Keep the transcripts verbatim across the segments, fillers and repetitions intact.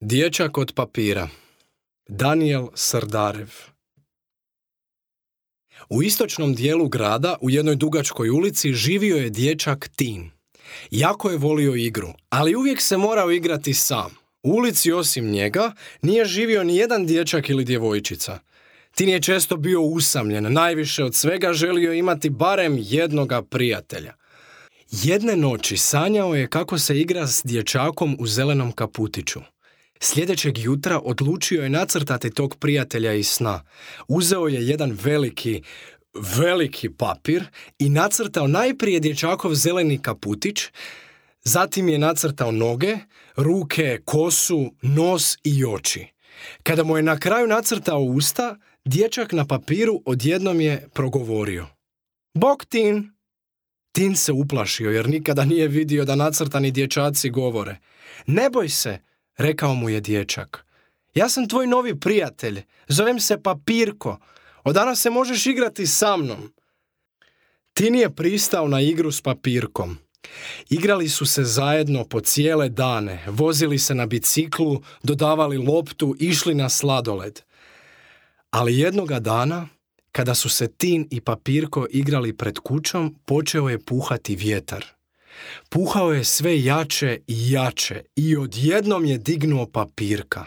Dječak od papira. Danijel Srdarev. U istočnom dijelu grada, u jednoj dugačkoj ulici, živio je dječak Tin. Jako je volio igru, ali uvijek se morao igrati sam. U ulici osim njega nije živio ni jedan dječak ili djevojčica. Tin je često bio usamljen, najviše od svega želio imati barem jednoga prijatelja. Jedne noći sanjao je kako se igra s dječakom u zelenom kaputiću. Sljedećeg jutra odlučio je nacrtati tog prijatelja iz sna. Uzeo je jedan veliki, veliki papir i nacrtao najprije dječakov zeleni kaputić, zatim je nacrtao noge, ruke, kosu, nos i oči. Kada mu je na kraju nacrtao usta, dječak na papiru odjednom je progovorio: "Bok, Tin!" Tin se uplašio jer nikada nije vidio da nacrtani dječaci govore. "Ne boj se," rekao mu je dječak. "Ja sam tvoj novi prijatelj, zovem se Papirko. Od danas se možeš igrati sa mnom." Tin je pristao na igru s Papirkom. Igrali su se zajedno po cijele dane, vozili se na biciklu, dodavali loptu, išli na sladoled. Ali jednoga dana, kada su se Tin i Papirko igrali pred kućom, počeo je puhati vjetar. Puhao je sve jače i jače i odjednom je dignuo Papirka.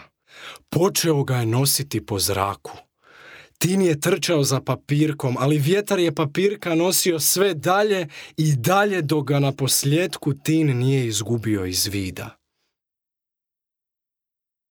Počeo ga je nositi po zraku. Tin je trčao za Papirkom, ali vjetar je Papirka nosio sve dalje i dalje dok ga na posljetku Tin nije izgubio iz vida.